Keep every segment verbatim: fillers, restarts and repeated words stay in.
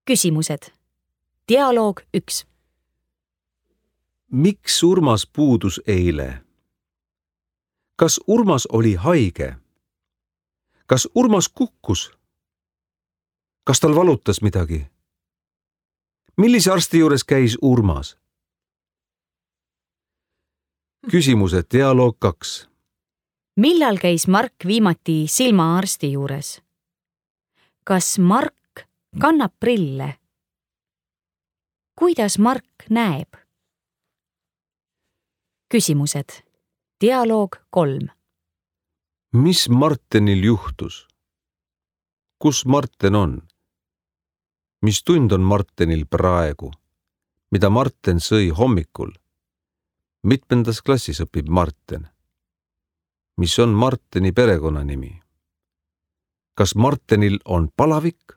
Küsimused. Dialoog üks. Miks Urmas puudus eile? Kas Urmas oli haige? Kas Urmas kukkus? Kas tal valutas midagi? Millise arsti juures käis Urmas? Küsimused. Dialoog kaks. Millal käis Mark viimati silmaarsti juures? Kas Mark kannab prille? Kuidas Mark näeb? Küsimused. Dialoog kolm. Mis Martenil juhtus? Kus Marten on? Mis tund on Martenil praegu? Mida Marten sõi hommikul? Mitmendas klassis õpib Marten? Mis on Marteni perekonnanimi? Kas Martenil on palavik?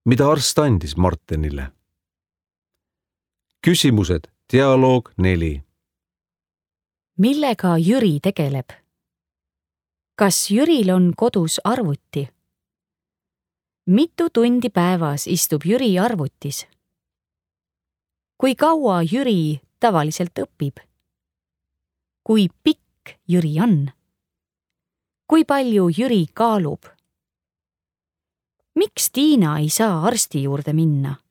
Mida arst andis Martenile? Küsimused. Dialoog neli. Millega Jüri tegeleb? Kas Jüril on kodus arvuti? Mitu tundi päevas istub Jüri arvutis? Kui kaua Jüri tavaliselt õpib? Kui pikk Jüri on? Kui palju Jüri kaalub? Miks Tiina ei saa arsti juurde minna?